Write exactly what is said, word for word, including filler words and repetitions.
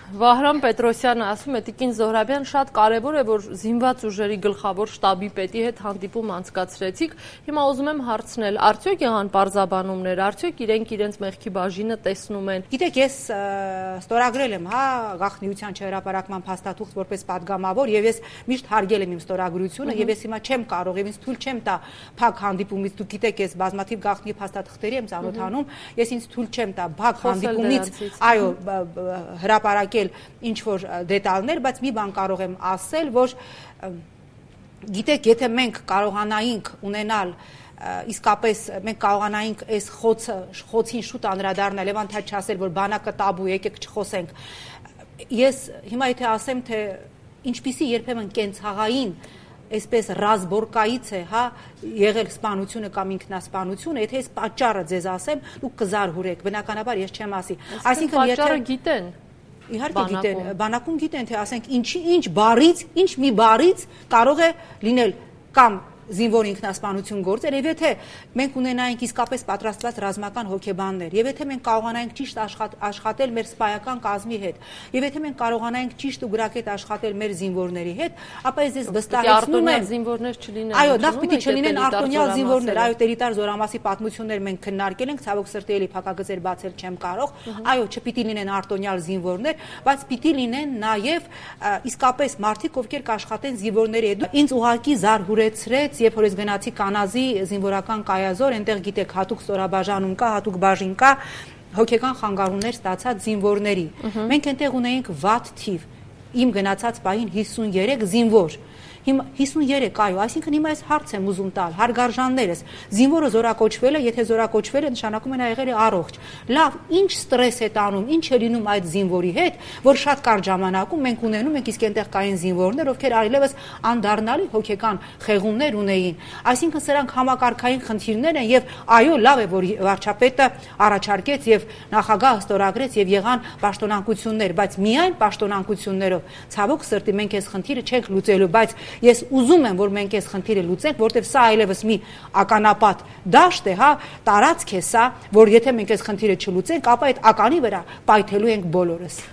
Վահրամ Պետրոսյանը ասում է Տիկին Զոհրաբյան շատ կարևոր է որ զինված ուժերի գլխավոր շտաբի պետի հետ հանդիպում անցկացրեցիք հիմա ուզում եմ հարցնել արդյոք եղան պարզաբանումներ արդյոք իրենք իրենց մեղքի բաժինը տեսնում են Գիտեք ես ստորագրել եմ հա գաղտնիության չհրապարակման փաստաթուղթ որպես падգամավոր եւ ես միշտ հարգել եմ իմ ստորագրությունը եւ ես հիմա չեմ կարող եւ ինձ թույլ չեմ տա փակ հանդիպումից դուք գիտեք ես բազմաթիվ գաղտնի փաստաթղթերի եմ ծանոթանում ես ինձ թույլ չեմ տա փակ հանդիպումից այո հրապարակել ինչ որ դետալներ, բայց մի բան կարող եմ ասել, որ գիտեք, եթե մենք կարողանայինք ունենալ իսկապես մենք կարողանայինք այս խոցը խոցին շուտ անդրադառնալ եւ անթադ չասել, որ բանակը տաբու եկեք չխոսենք։ Ես հիմա եթե ասեմ, թե ինչպիսի երբեմն կենցաղային այսպես ռազմորկայից է, հա, եղել սպանությունը կամ ինքնասպանությունը, եթե ես պատճառը ձեզ ասեմ, դուք կզարհուրեք, բնականաբար ես չեմ ասի։ Այսինքն պատճառը գիտեն Իհարկե գիտեն, բանակում գիտեն, թե ասենք ինչի ինչ բարից, ինչ մի բարից կարող է լինել կամ զինվոր ինքնասպանություն գործել, եւ եթե մենք ունենայինք իսկապես պատրաստված ռազմական հոգեբաններ, եւ եթե մենք կարողանայինք ճիշտ աշխատել մեր սպայական կազմի հետ, եւ եթե մենք կարողանայինք ճիշտ ու գրակետ աշխատել մեր զինվորների հետ, ապա ես ես վստահեցնում եմ զինվորներ չլինեն։ Այո, նախ պիտի չլինեն արտոնյալ զինվորներ, այո, Տերիտար Զորամասի պատմություններ մենք քննարկել ենք, ցավոք սրտի էլի փակագծեր բացել չեմ կարող, այո, չպիտի լինեն արտոնյալ զինվորներ, բայց պիտի լինեն նաեւ իսկապես մարդիկ, ովքեր կաշխատեն զինվորների հետ։ Ինձ ուղղակի զարհուրեցրեց Երբ որ ես գնացի Կանազի զինվորական կայազոր, այնտեղ գիտեք հատուկ ստորաբաժանում կա, հատուկ բաժին կա, հոգեկան խանգարումներ ստացած զինվորների։ Մենք այնտեղ ունեինք վատ թիվ, իմ գնացած պահին հիսուններեք զինվոր։ Հիմա հիսուններեք, այո, այսինքն հիմա ես հարց եմ ուզում տալ, հարգարժաններս, զինվորը զորակոչվել է, եթե զորակոչվել է, նշանակում է նա եղել է առողջ։ Լավ, ինչ ստրես է տանում, ինչ է լինում այդ զինվորի հետ, որ շատ կարճ ժամանակում մենք ունենում ենք իսկ այնտեղ կային զինվորներ, ովքեր այլևս անդառնալի հոգեկան խեղումներ ունեին։ Այսինքն սրանք համակարգային խնդիրներ են եւ այո, լավ է, որ վարչապետը առաջարկեց եւ նախագահը ստորագրեց եւ եղան պաշտոնանկություններ, բայց միայն պաշտոնանկություններով։ Ցավոք սրտի մենք այս խնդիրը չենք լուծելու, բայց Ես ուզում եմ, որ մենք այս խնդիրը լուծենք, որտեղ սա այլևս մի ականապատ դաշտ է, հա, տարածք է սա, որ եթե մենք այս խնդիրը չլուծենք, ապա այդ ականի վրա պայթելու ենք բոլորս։